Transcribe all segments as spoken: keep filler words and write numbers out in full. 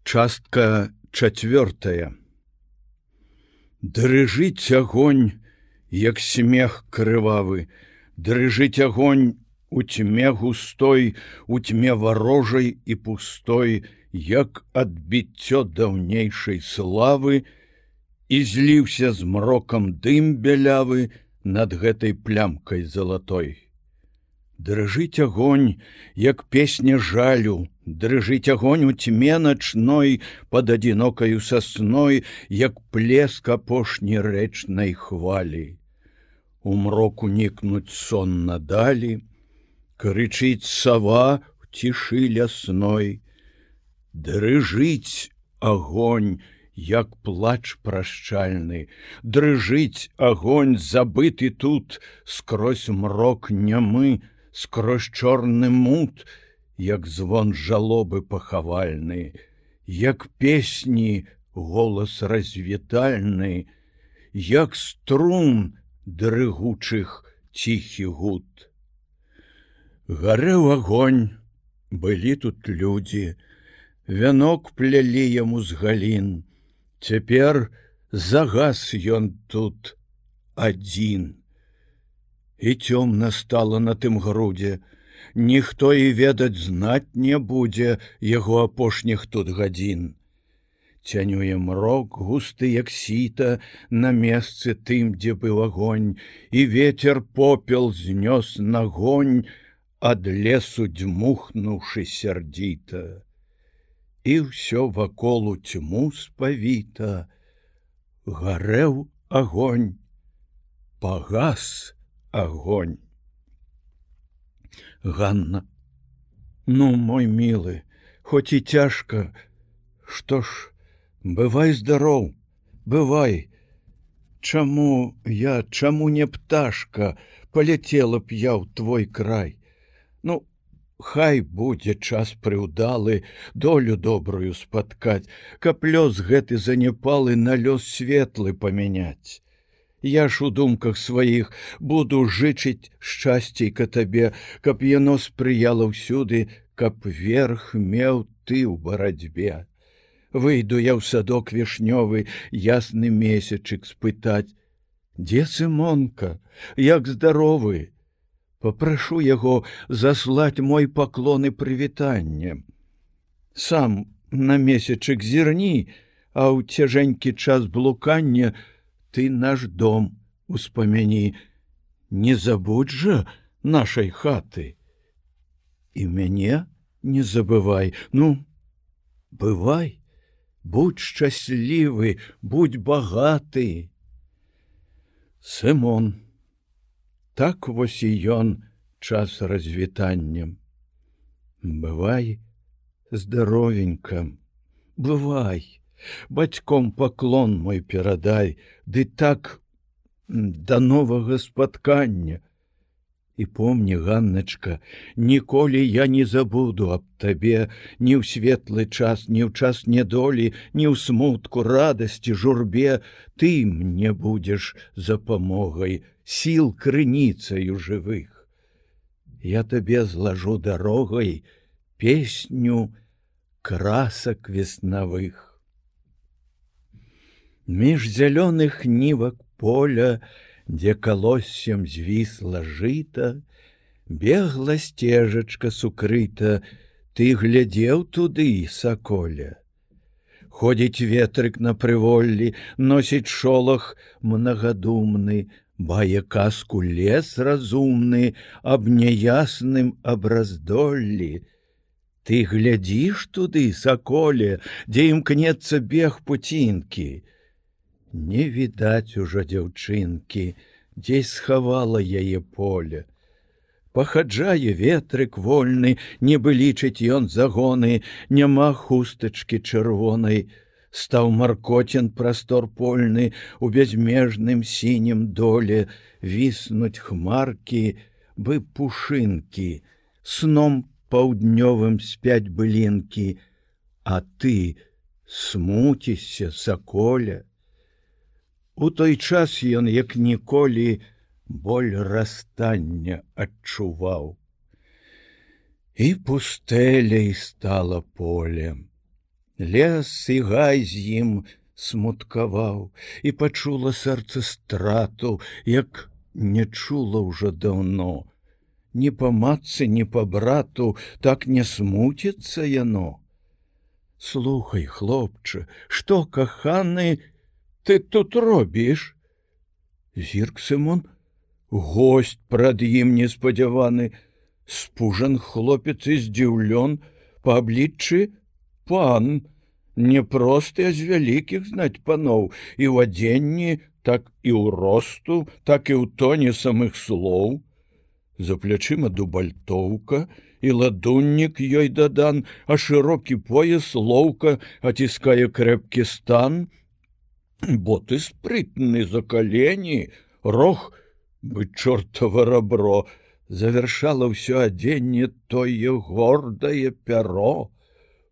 Частка чацвёртая. Дрыжыць агонь, як смех крывавы, дрыжыць агонь у тьме густой, у тьме варожай і пустой, як адбіццё даўнейшай славы, і зліўся змрокам дым бялявы над гэтай плямкай залатой. Дрыжыць агонь, як песня жалю, дрыжыць агонь у тьме начной под адзінокаю сасной, як плеск апошні рэчнай хвалі. У мроку нікнуць сон надалі, крычыць сава в цішы лясной. Дрыжыць агонь, як плач прашчальны, дрыжыць агонь забыты тут, скрозь мрок нямы, скрозь чорны мут, як звон жалобы пахавальны, як песні голас развітальны, як струн дрыгучых ціхі гуд. Гарэў агонь, былі тут людзі, вянок плялі яму з галін, цяпер загас ён тут адзін. І цёмна стала на тым грудзе, ніхто і ведаць знаць не будзе яго апошніх тут гадзін. Цянюе мрок густы, як сіта, на месцы тым, дзе быў агонь, і ветер попел знёс нагонь, ад лесу дзьмухнуўшы сярдзіта. І ўсё вакол у тьму спавіта. Гарэў агонь, пагас огонь. Ганна: ну, мой милы, хоть и тяжко, что ж, бывай здоров, бывай. Чаму я, чаму не пташка, полетела б я ў твой край? Ну, хай будзе час прыўдалы, долю добрую спаткаць, каб лёс гэты занепалы на лёс светлы памяняць. Я ж у думках сваіх буду жычыць шчасцейка табе, каб яно спрыяла ўсюды, каб верх меў ты ў барацьбе. Выйду я ў садок вішнёвы, ясны месячык спытаць: дзе Сымонка, як здаровы? Попрашу яго заслаць мой паклон і прывітанне. Сам на месячык зірні, а ў цяжэнькі час блукання ты наш дом успамяні, не забудь жа нашай хаты. І мяне не забывай, ну, бывай, будь шчаслівы, будь багаты. Сымон. Так вось і ён час развітання. Бывай здаровенька, бывай. Бацьком паклон мой перадай, ды так да новага спаткання. І помні, Ганначка, ніколі я не забуду аб табе ні ў светлы час, ні ў час нядолі, ні ў смутку, радасці, журбе. Ты мне будзеш запамогай, сіл крыніцаю жывых. Я табе злажу дарогай песню красак веснавых. Між зялёных нівак поля, дзе калоссем звісла жыта, бегла сцежачка сукрыта, ты глядзеў туды, саколя. Ходзіць ветрык на прыволлі, носіць шолах мнагадумны, бае казку лес разумны аб няясным абраздоллі. Ты глядзіш туды, саколе, дзе імкнецца бег пуцінкі. Не відаць ужо дзяўчынкі, дзесь схавала яе поле. Пахаджае ветрык вольны, нібы лічыць ён загоны, няма хустачкі чырвонай. Стаў маркоцін прастор польны, у бязмежным сінім доле віснуць хмаркі, бы пушынкі, сном паўднёвым спяць былінкі, а ты смуцішся, саколя. У той час ён, як ніколі, боль расстання адчуваў. І пустэляй стала полем, Лес і гай з ім смуткаваў, і пачула сэрца страту, як не чула ўжо даўно. Ні па матцы, ні па брату так не смуціцца яно. Слухай, хлопче, што, каханы, ты тут робіш? Зірк Сымон, госць прад ім неспадзяваны, спужан хлопец і здзіўлён, па абліччы пан, не просты, а з вялікіх знаць паноў, і ў адзенні, так і ў росту, так і ў тоне самых слоў. За плячыма дубальтоўка, і ладуннік ёй дадан, а шырокі пояс лоўка аціскае крэпкі стан. Боты спрытны за калені, рог, бы чортава рабро, завяршала ўсё адзенне тое гордае пяро.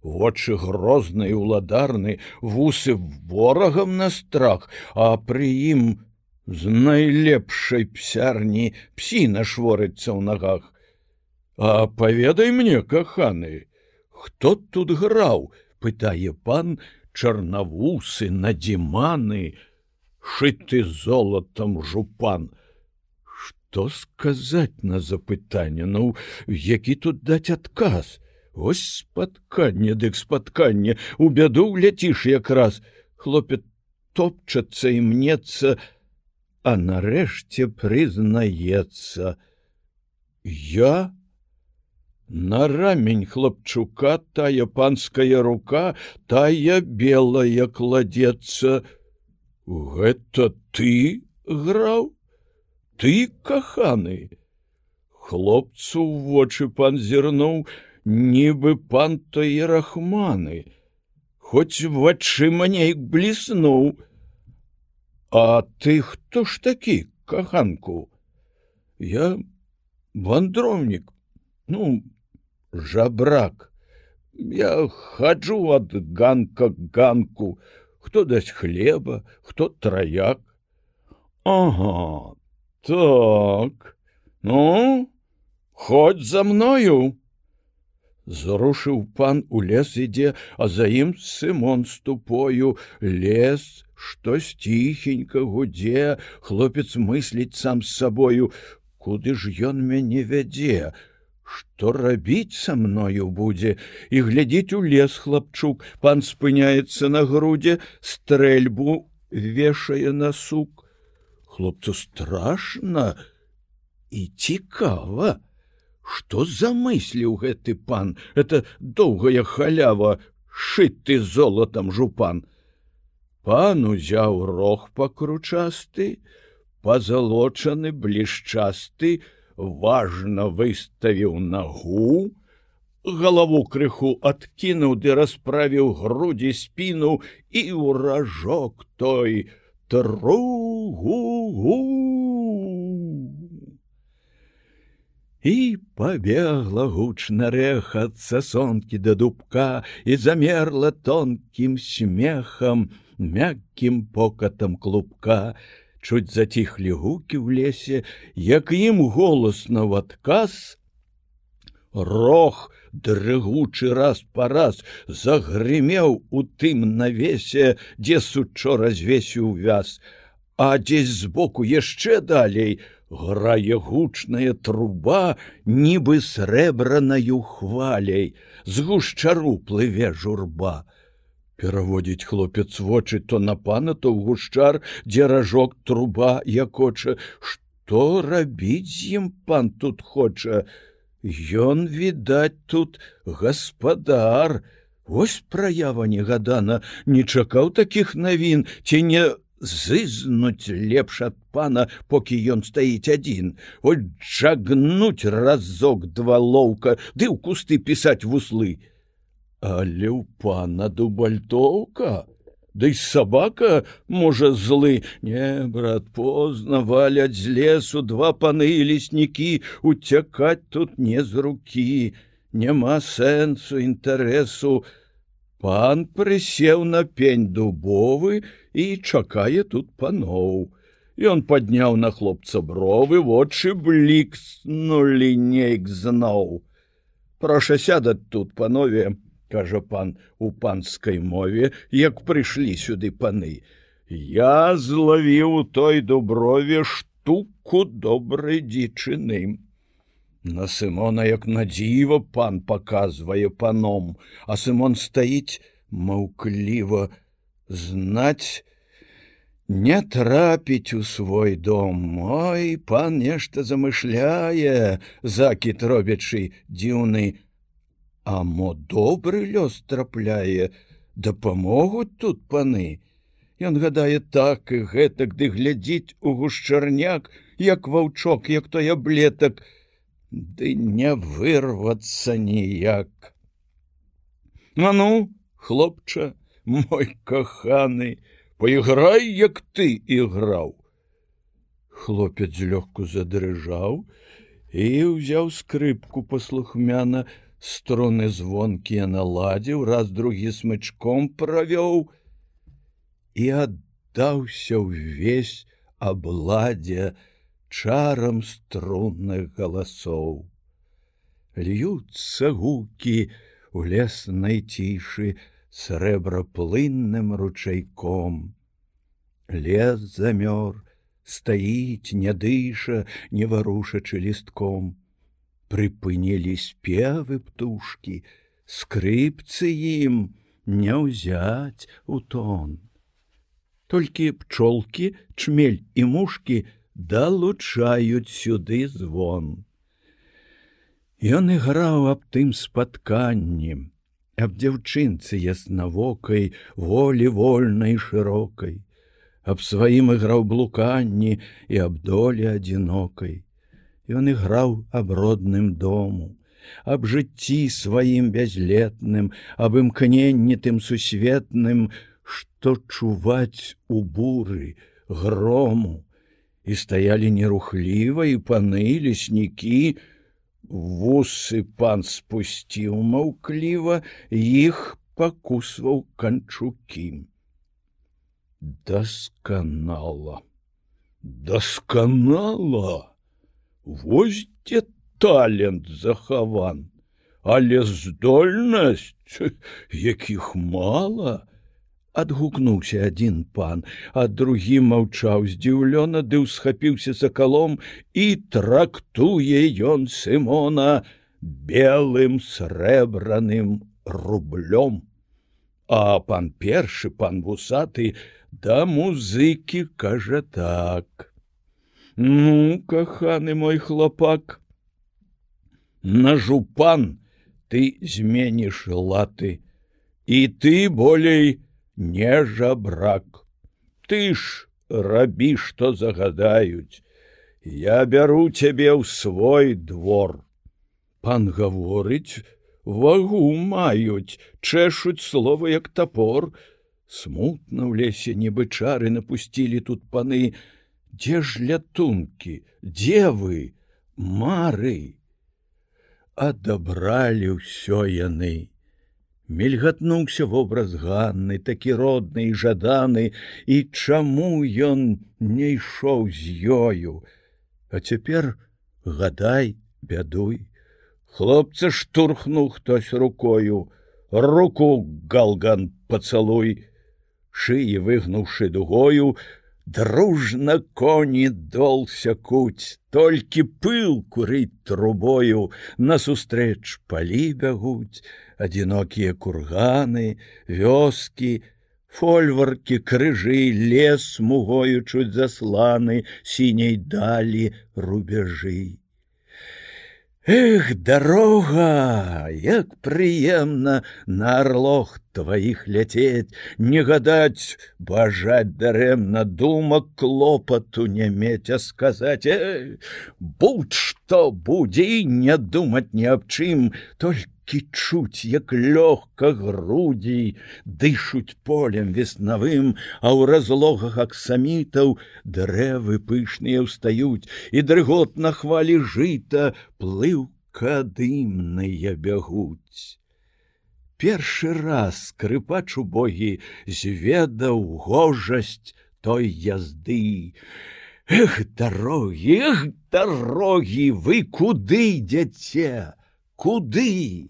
Вочы грозныя і ўладарны, вусы ворагам на страх, а пры ім з найлепшай псярні псіна шворыцца ў нагах. А паведай мне, каханы, хто тут граў? Пытае пан, чарнавусы, надзіманы, шыты золатам жупан. Што сказаць на запытанне? Ну, які тут даць адказ? Ось спатканне, дык спатканне, у бяду ляціш якраз. Хлопец топчацца і мнецца, а нарэшце прызнаецца. Я? На рамень хлапчука тая панская рука, тая белая кладецца. Гэта ты граў? Ты, каханы? Хлопцу ў вочы пан зірнуў, нібы пан то і рахманы, хоць вачыма нейк бліснуў. А ты хто ж такі, каханку? Я вандроўнік, ну, жабрак. Я хаджу ад ганка к ганку, хто дасць хлеба, хто траяк. Ага, так, ну, ходь за мною. Зрушыў пан, у лес ідзе, а за ім Сымон з тупою. Лес, штось ціхенька гудзе, хлопец мысліць сам з сабою. Куды ж ён мяне вядзе? Што рабіць са мною будзе? І глядзіць у лес хлапчук, пан спыняецца на грудзе, стрэльбу вешае на сук. Хлопцу страшна і цікава. Што замысліў гэты пан? Это доўгая халява, шыты золатам жупан. Пан узяў рог пакручасты, пазалочаны, блішчасты, важна выставіў нагу, галаву крыху адкінуў ды расправіў грудзі, спіну, і ў ражок той тру-гу-гу. І пабегла гучна рэх ад сасонкі да дубка, і замерла тонкім смехам, мяккім покатам клубка. Чуць заціхлі гукі ў лесе, як ім голасна ў адказ. Рог, дрыгучы раз па раз, загрымеў у тым навесе, дзе сучора звесіў вяз, а дзесь збоку яшчэ далей грае гучная труба, нібы срэбранаю хваляй, з гушчару плыве журба. Пераводзіць хлопец вочы то на пана, то ў гушчар, дзе ражок труба якоча. Што рабіць з ім пан тут хоча? Ён, відаць, тут гаспадар. Вось праява негадана, не чакаў такіх навін, ці не зызнуць лепш ад пана, покі ён стаіць адзін. От жагнуць разок два лоўка, ды ў кусты пісаць вуслы. Але ў пана дубальтоўка, ды й сабака, можа, злы. Не, брат, позна валяць з лесу два паны і леснікі, уцякаць тут не з рукі, няма сэнсу, інтарэсу. Пан прысеў на пень дубовы і чакае тут паноў. Ён падняў на хлопца бровы, вочы блікснулі нейк зноў. Проша сядаць тут, панове, кажа пан у панскай мове, як прыйшлі сюды паны. Я злавіў у той дуброве штуку добрай дзічыны. На Сымона, як на дзіва, пан паказвае паном, а Сымон стаіць маўкліва. Знаць, не трапіць у свой дом. Ой, пан нешта замышляе, закід робячы дзіўны. А мо добры лёс трапляе, дапамогуць тут паны. Ён гадае так і гэтак, ды глядзіць у гушчарняк, як ваўчок, як той аблетак, ды не вырвацца ніяк. А ну, хлопча, мой каханы, поиграй, як ты іграў. Хлопец злёгку задрыжаў і ўзяў скрыпку паслухмяна, струны звонкія наладзіў, раз другі смычком правёў і аддаўся ўвесь абладзе чарам струнных галасоў. Льюцца гукі у леснай цішы срэбраплынным ручайком. Лес замёр, стаіць, не дыша, не варушачы лістком. Прыпынілі спевы птушкі, скрыпцы ім не ўзяць у тон. Толькі пчолкі, чмель і мушкі далучаюць сюды звон. Ён іграў аб тым спатканні, аб дзяўчынцы яснавокай, волі вольнай шырокай, аб сваім іграў блуканні і аб долі адзінокай. Ён іграў аб родным дому, аб жыцці сваім бязлетным, аб імкненні тым сусветным, што чуваць у буры, грому. І стаялі нерухліва і паны, леснікі. Вусы пан спусціў маўкліва, іх пакусваў канчукі. Дасканала, дасканала! Вось дзе талент захаван, але здольнасць, якіх мала. Адгукнуўся адзін пан, а другі маўчаў здзіўлёна, ды ўсхапіўся сакалом, і трактуе ён Сымона белым срэбраным рублём. А пан першы, пан вусаты, да музыкі кажа так: ну, каханы мой хлопак, на жупан ты зменіш латы, і ты болей не жабрак. Ты ж рабі, што загадаюць. Я бяру цябе ў свой двор. Пан гаворыць, вагу маюць, чэшуць слова, як тапор. Смутна ў лесе нібы чары напусцілі тут паны. Дзе ж лятункі, дзе вы, мары? Адабралі ўсё яны. Мільгатнуўся вобраз Ганны, такі родны і жаданы, і чаму ён не ішоў з ёю? А цяпер гадай, бядуй. Хлопца штурхнуў хтось рукою. Руку, галган, пацалуй. Шыі выгнуўшы дугою, дружна коні дол сякуць, толькі пыл курыць трубою, насустрэч палі бягуць, адзінокія курганы, вёскі, фольваркі, крыжы, лес смугою чуць засланы, сіняй далі рубяжы. Эх, дарога, як прыемна на арлох тваіх ляцець, не гадаць, бажаць дарэмна, думак клопату не мець, а сказаць: э, будь-што будзе, і не думаць ні аб чым, толькі чуць, як лёгка грудзі дышуць полем веснавым, а ў разлогах аксамітаў дрэвы пышныя ўстаюць, і дрыготна хвалі жыта плыўка дымныя бягуць. Першы раз скрыпач убогі зведаў гожасць той язды. Эх, дарогі, эх, дарогі, вы куды ідзяце? Куды?